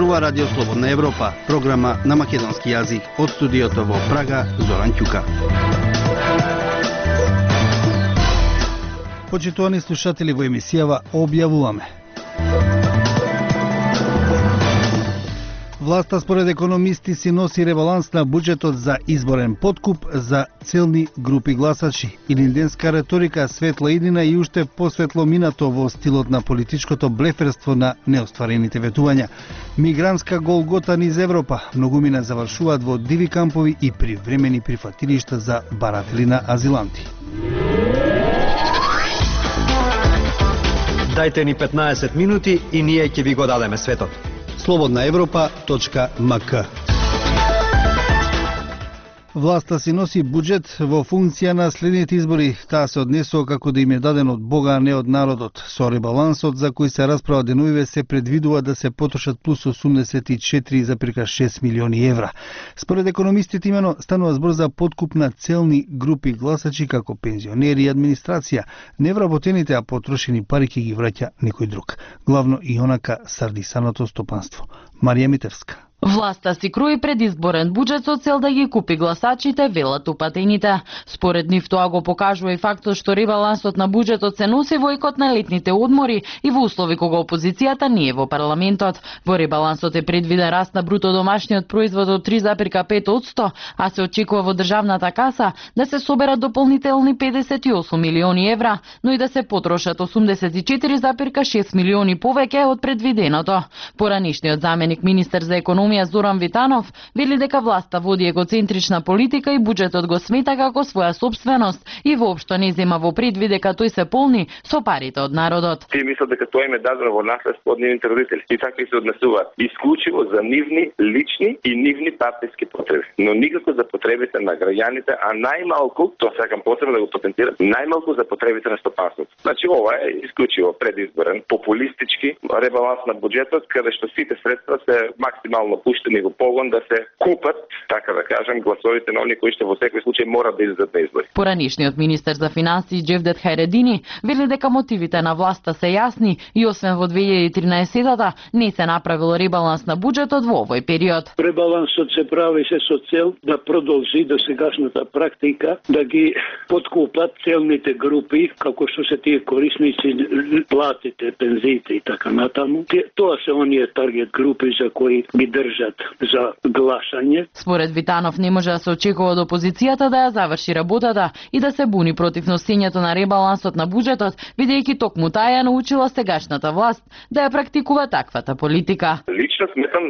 зборува Радио Слободна Европа, програма на македонски јазик од студиото во Прага, Зоран Ќука. Почитувани слушатели, во емисијава објавуваме: власта според економисти си носи ребаланс на буџетот за изборен подкуп за целни групи гласачи. Илинденска реторика, светла иднина и уште посветло минато во стилот на политичкото блеферство на неостварените ветувања. Мигрантска голгота низ Европа. Многумина завршуваат во диви кампови и привремени прифатилишта за баратели на азиланти. Дајте ни 15 минути и ние ќе ви го дадеме светот. slobodnaevropa.mk. Власта си носи буџет во функција на следните избори. Таа се однесува како да им е даден од Бога, а не од народот. Со ребалансот за кој се расправа денувиве се предвидува да се потрошат плюс 84,6 милиони евра. Според економистите имено станува збор за подкуп на целни групи гласачи како пензионери и администрација. Невработените, а потрошени пари ќе ги враќа некој друг. Главно и онака сардисаното стопанство. Марија Митевска. Власта си крои предизборен буџет со цел да ги купи гласачите, велат упатените. Според нив тоа го покажува и фактот што ребалансот на буџетот се носи во икот на летните одмори и во услови кога опозицијата не е во парламентот. Во ребалансот е предвиден раст на бруто домашниот производ од 3,5%, а се очекува во државната каса да се соберат дополнителни 58 милиони евра, но и да се потрошат 84,6 милиони повеќе од предвиденото. Поранишниот заменик министер за економија Зоран Витанов вели дека власта води егоцентрична политика и буџетот го смета како своја собственост и воопшто не зема во предвид дека тој се полни со парите од народот. Тие мислат дека тоа им е дадено во наследство од нивните родители и така се однесуваат исклучиво за нивни лични и нивни партиски потреби, но никако за потребите на граѓаните, а најмалку, тоа сакам посебно да го потенцирам, најмалку за потребите на стопанството. Значи ова е исклучиво предизборен, популистички ребаланс на буџетот, каде што сите средства се максимално пуштени во погон да се купат, така да кажем, гласовите на оние кои што во секој случај мора да излезат на избори. Поранишниот министер за финансии Джевдет Хајредини вели дека мотивите на власта се јасни и освен во 2013-та не се направил ребаланс на буџетот во овој период. Ребалансот се прави се со цел да продолжи досегашната практика да ги подкупат целните групи, како што се тие корисници, платите, пензиите и така натаму. Тоа се оние таргет групи за кои ги држат за гласање. Според Витанов не може да се очекува од опозицијата да ја заврши работата и да се буни против носењето на ребалансот на буџетот, бидејќи токму таа ја научила сегашната власт да ја практикува таквата политика. Лично сметам,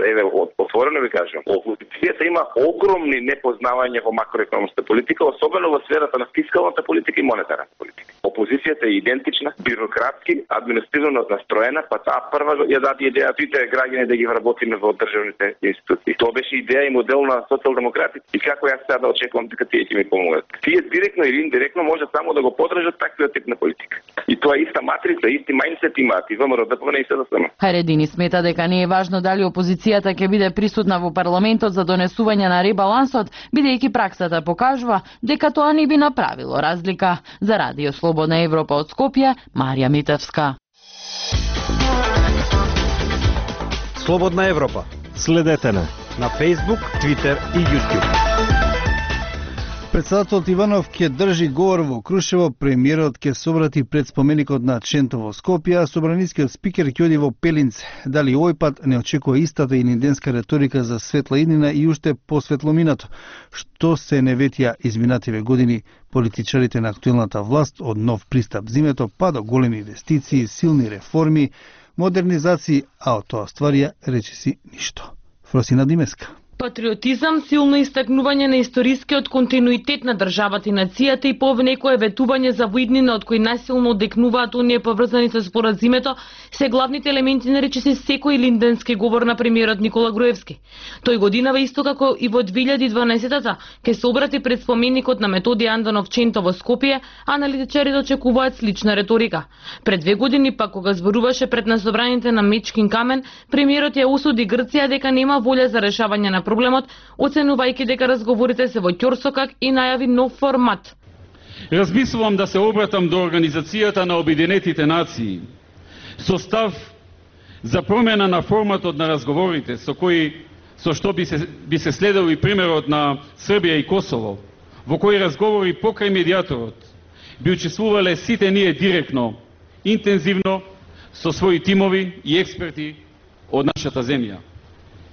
отворено ви кажам, опозицијата има огромни непознавања во макроекономската политика, особено во сферата на фискалната политика и монетарната политика. Опозицијата е идентична, бюрократски, административно настроена, па таа прва ја даде идеја сите граѓани да ги вработиме во државните институции. Тоа беше идеја и модел на социјалдемократите. И како јас сега да очекувам дека тие ќе ми помогнат? Тие директно или индиректно може само да го подржат таквиот тип на политика. И тоа е иста матрица, исти мајндсет имаат и ВМРО, ДПМН и СДСМ. Хајредини смета дека не е важно дали опозицијата ќе биде присутна во парламентот за донесување на ребалансот, бидејќи праксата покажува дека тоа не би направило разлика. За Радио Слободна Европа од Скопје, Марија Митевска. Слободна Европа. Следете на Facebook, Twitter и YouTube. Председателот Иванов ќе држи говор во Крушево, премиерот ќе се обрати пред споменикот на Ченто во Скопје, а собранискиот спикер ќе оди во Пелинце. Дали овој пат не очекува истата илинденска реторика за светла иднина и уште посветло минато, што се не ветија изминативе години политичарите на актуелната власт од нов пристап зимето па до големи инвестиции, силни реформи, модернизации, а од тоа стварија речиси ништо. Фросина Димеска. Патриотизам, силно истакнување на историскиот континуитет на државата и нацијата и повнекое ветување за воиднина од кои најсилно одекнуваат оние поврзани со споразумето се главните елементи на речиси секој линденски говор на премиерот Никола Груевски. Тој годинава исто како и во 2012-та ќе се обрати пред споменикот на Методи Андонов Ченто во Скопје, а аналитичарите очекуваат слична реторика. Пред 2 години пак кога зборуваше пред насобраните на Мечкин камен, премиерот ја осуди Грција дека нема волја за решавање на проблемот, оценувајќи дека разговорите се во ќорсокак и најави нов формат. Размислувам да се обратам до Организацијата на Обединетите нации со став за промена на форматот на разговорите со што би се следел и примерот на Србија и Косово, во кои разговори покрај медијаторот би учествувале сите ние директно, интензивно, со своји тимови и експерти од нашата земја.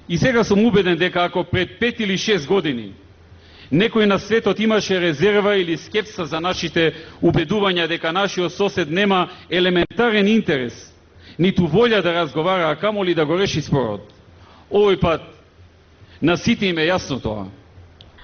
И сега сум убеден дека ако пред 5 или 6 години некој на светот имаше резерва или скепса за нашите убедувања дека нашиот сосед нема елементарен интерес, ниту волја да разговара, а камоли да го реши спорот, овој пат на сите им е јасно тоа.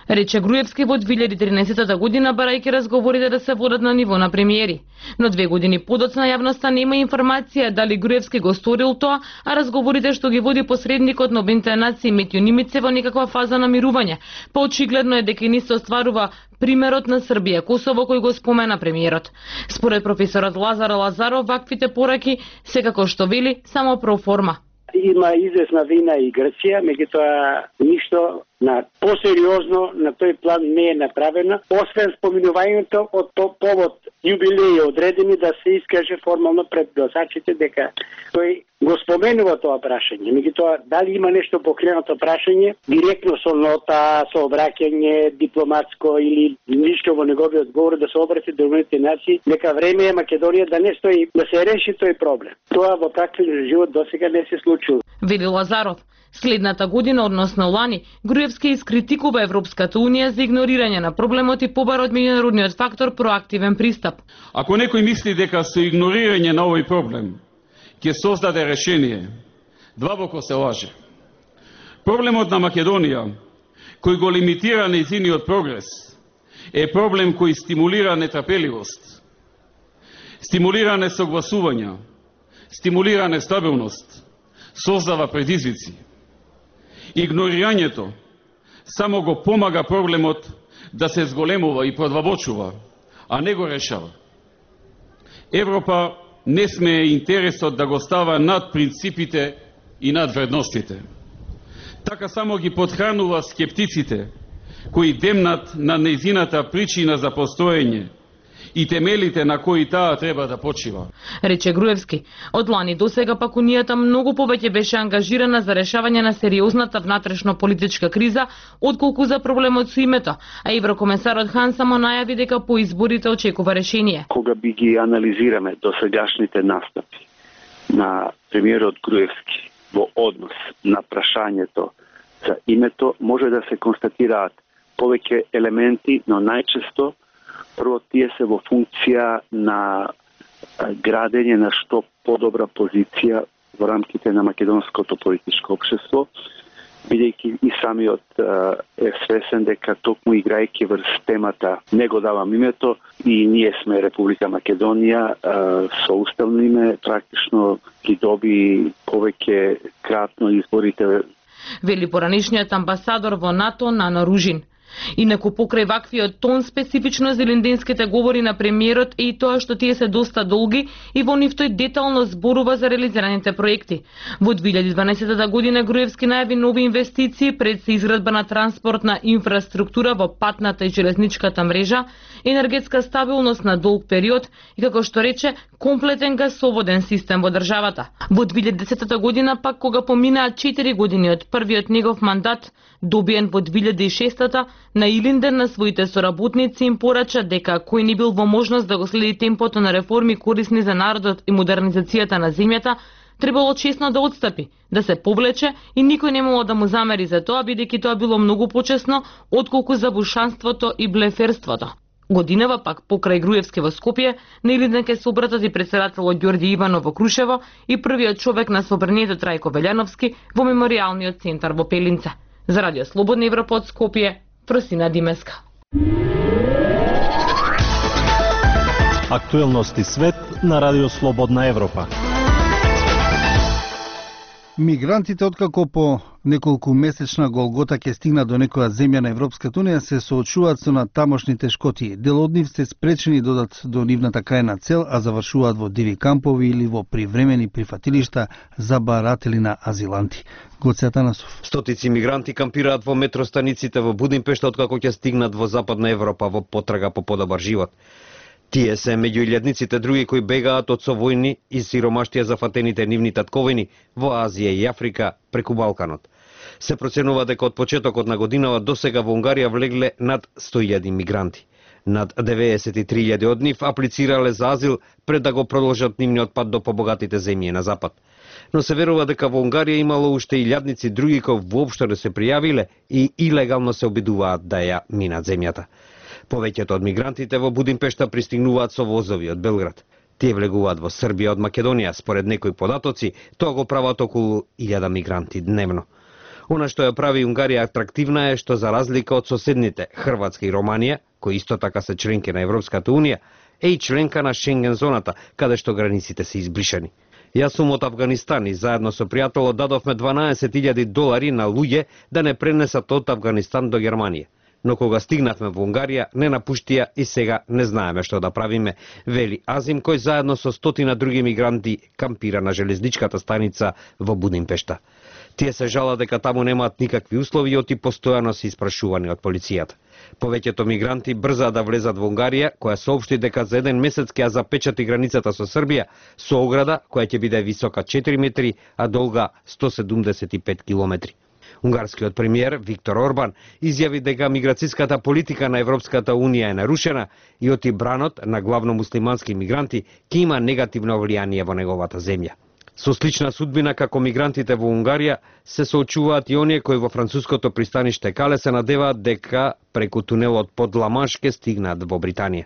Рече Груевски во 2013 година, барајќи разговорите да се водат на ниво на премиери. Но 2 години подоцна јавноста нема информација дали Груевски го сторил тоа, а разговорите што ги води посредникот на Обединетите нации Метју Нимиц во некаква фаза на мирување. Поочигледно е дека не се остварува примерот на Србија, Косово кој го спомена премиерот. Според професорот Лазар Лазаров, ваквите пораки се како што вели само проформа. Има известна вина и Грција, меѓутоа ништо на посериозно на тој план не е направено, освен споминувањето од повод јубилеи одредени да се искаже формално пред гласачите дека тој го споменува тоа прашање. Меѓутоа, дали има нешто покренато прашање, директно со нота, со обраќање дипломатско или ништо во неговиот говор да се обрати до Обединетите нации, дека време е Македонија да не стои, да се реши тој проблем. Тоа во практичен живот досега не се случува. Вели Лазаров. Следната година, односно лани, Груевски искритикува Европската Унија за игнорирање на проблемот и побара од меѓународниот фактор проактивен пристап. Ако некој мисли дека со игнорирање на овој проблем ќе создаде решение, длабоко се лаже. Проблемот на Македонија, кој го лимитира нејзиниот прогрес, е проблем кој стимулира нетрпеливост, стимулира несогласувања, стимулира нестабилност, создава предизвици. Игнорирањето само го помага проблемот да се зголемува и продлабочува, а не го решава. Европа не смее интересот да го става над принципите и над вредностите. Така само ги подхранува скептиците, кои демнат на нејзината причина за постоење и темелите на кои таа треба да почива. Рече Груевски. Од лани до сега пак Унијата многу повеќе беше ангажирана за решавање на сериозната внатрешно политичка криза, отколку за проблемот со името, а еврокомесарот Хан само најави дека по изборите очекува решение. Кога би ги анализираме досегашните настапи на премиерот Груевски во однос на прашањето за името, може да се констатираат повеќе елементи, но најчесто прво тие се во функција на градење на што подобра позиција во рамките на македонското политичко општество, бидејќи и самиот е свесен дека токму играјќи врз темата не го давам името и ние сме Република Македонија со уставно име, практично ги доби повеќе кратно изборите. Вели поранишниот амбасадор во НАТО Нано Ружин. Инаку покрај ваквиот тон специфично за линденските говори на премиерот е и тоа што тие се доста долги и во нив тој детално зборува за реализираните проекти. Во 2012 година Груевски најави нови инвестиции пред се изградба на транспортна инфраструктура во патната и железничката мрежа, енергетска стабилност на долг период и, како што рече, комплетен гасоводен систем во државата. Во 2010 година пак, кога поминаа 4 години од првиот негов мандат, добиен во 2006 на Илинден на своите соработници им порача дека кој не бил во можност да го следи темпото на реформи корисни за народот и модернизацијата на земјата, требало честно да отстапи, да се повлече и никој не можел да му замери за тоа, бидејќи тоа било многу почесно отколку забушанството и блеферството. Годинава пак покрај Груевски во Скопје, на Илинден ке се обратат и претседателот Ѓорѓи Иванов во Крушево и првиот човек на собранието Трајко Велјановски во меморијалниот центар во Пелинце. За Радио Слободна Европа од Скопје, Просина Димеска. Актуелности свет на Радио Слободна Европа. Мигрантите, откако по неколку месечна голгота ќе стигнат до некоја земја на Европската Унија, се соочуваат со тамошни тешкоти. Дел од нив се спречени додат до нивната крајна цел, а завршуваат во диви кампови или во привремени прифатилишта за баратели на азиланти. Гоце Атанасов. Стотици мигранти кампираат во метростаниците во Будимпешта откако ќе стигнат во Западна Европа во потрага по подобар живот. Тие се меѓу илјадниците други кои бегаат од совојни и сиромаштија зафатените нивни татковини во Азија и Африка преку Балканот. Се проценува дека од почетокот на годинава досега во Унгарија влегле над 100.000 мигранти. Над 93.000 од нив аплицирале за азил пред да го продолжат нивниот пат до побогатите земји на запад. Но се верува дека во Унгарија имало уште илјадници други кои воопшто не се пријавиле и илегално се обидуваат да ја минат земјата. Повеќето од мигрантите во Будимпешта пристигнуваат со возови од Белград. Тие влегуваат во Србија од Македонија, според некои податоци, тоа го прават околу 1000 мигранти дневно. Она што ја прави Унгарија атрактивна е што за разлика од соседните Хрватска и Романија, кои исто така се членки на Европската унија, е и членка на Шенген зоната, каде што границите се избришани. Јас сум од Авганистан и заедно со пријателот дадовме $12.000 на луѓе да не пренесат од Авганистан до Германија. Но кога стигнавме во Унгарија, не напуштија и сега не знаеме што да правиме, вели Азим, кој заедно со 100 други мигранти кампира на железничката станица во Будимпешта. Тие се жалат дека таму немаат никакви услови и постојано се испрашувани од полицијата. Повеќето мигранти брзаат да влезат во Унгарија, која соопшти дека за 1 месец ќе ја запечати границата со Србија, со ограда која ќе биде висока 4 метри, а долга 175 километри. Унгарскиот премиер Виктор Орбан изјави дека миграцијската политика на Европската унија е нарушена и оти бранот на главно муслимански мигранти ќе има негативно влијание во неговата земја. Со слична судбина како мигрантите во Унгарија се соочуваат и оние кои во француското пристаниште Кале се надеваат дека преку тунелот под Ла-Манш ќе стигнат во Британија.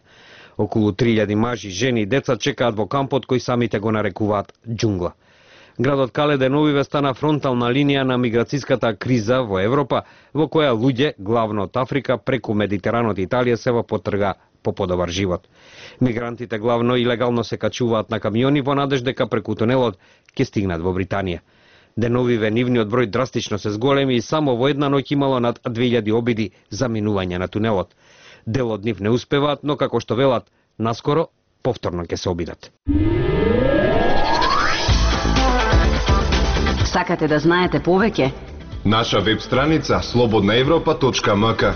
Околу 3000 мажи, жени и деца чекаат во кампот кој самите го нарекуваат џунгла. Градот Кале деновиве стана фронтална линија на миграцијската криза во Европа, во која луѓе, главно од Африка, преку Медитеранот и Италија се во потрга по подобар живот. Мигрантите главно илегално се качуваат на камиони во надеж дека преку тунелот ќе стигнат во Британија. Деновиве нивниот број драстично се зголеми и само во една ноќ имало над 2000 обиди за минување на тунелот. Дел од нив не успеваат, но како што велат, наскоро повторно ќе се обидат. Сакате да знаете повеќе? Наша веб страница slobodnaevropa.mk.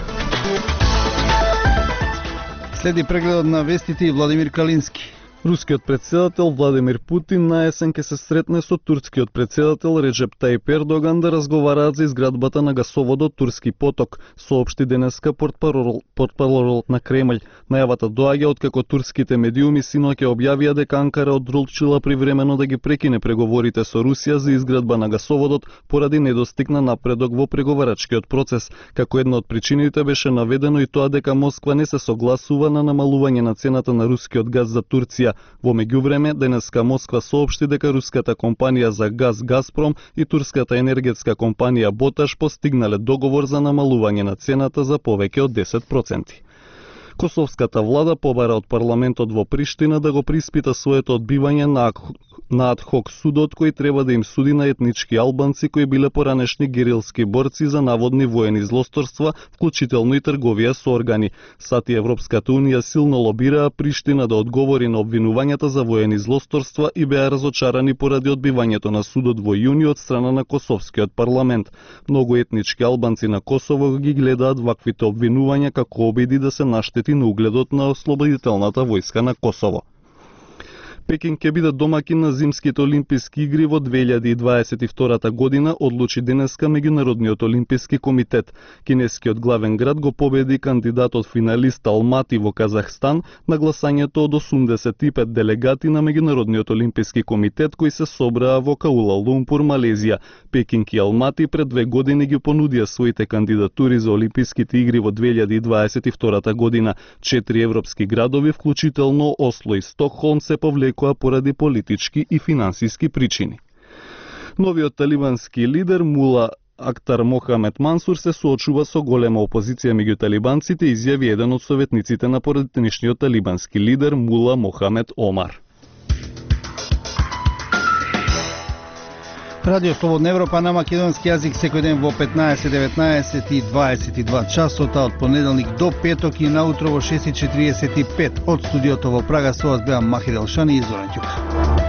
Следи прегледот на вестите и Владимир Калински. Рускиот председател Владимир Путин на есен ќе се сретне со турскиот председател Реджеп Таип Ердоган да разговараат за изградбата на гасоводот Турски поток, соопшти денеска портпаролот на Кремљ. Најавата доаѓа откако турските медиуми синоќа објавија дека Анкара одлучила привремено да ги прекине преговорите со Русија за изградба на гасоводот поради недостигна напредок во преговарачкиот процес. Како една од причините беше наведено и тоа дека Москва не се согласува на намалување на цената на рускиот газ за Турција. Во меѓувреме, денеска Москва соопшти дека руската компанија за газ Газпром и турската енергетска компанија Боташ постигнале договор за намалување на цената за повеќе од 10%. Косовската влада побара од парламентот во Приштина да го приспита своето одбивање на адхок судот кој треба да им суди на етнички албанци кои биле поранешни герилски борци за наводни воени злосторства, вклучително и трговија со органи. САД и Европската унија силно лобираа Приштина да одговори на обвинувањата за воени злосторства и беа разочарани поради одбивањето на судот во јуни од страна на Косовскиот парламент. Многу етнички албанци на Косово ги гледаат ваквите обвинувања како обиди да се наштети на угледот на ослободителната војска на Косово. Пекинг ќе биде домакин на зимските олимписки игри во 2022 година, одлучи денеска Меѓународниот олимписки комитет. Кинескиот главен град го победи кандидатот финалист Алмати во Казахстан на гласањето од 85 делегати на Меѓународниот олимписки комитет кои се собраа во Куала Лумпур, Малезија. Пекинг и Алмати пред 2 години ги понудија своите кандидатури за олимписките игри во 2022 година. 4 европски градови, вклучително Осло и Стокхолм, се повлекоа поради политички и финансиски причини. Новиот талибански лидер Мула Актар Мохамед Мансур се соочува со голема опозиција меѓу талибанците, изјави еден од советниците на поранешниот талибански лидер Мула Мохамед Омар. Радио Слободна Европа на македонски јазик секој ден во 15, 19 и 22 часота од понеделник до петок и наутро во 6:45 од студиото во Прага. Со вас беа Махир Елшани и Зоран Ќука.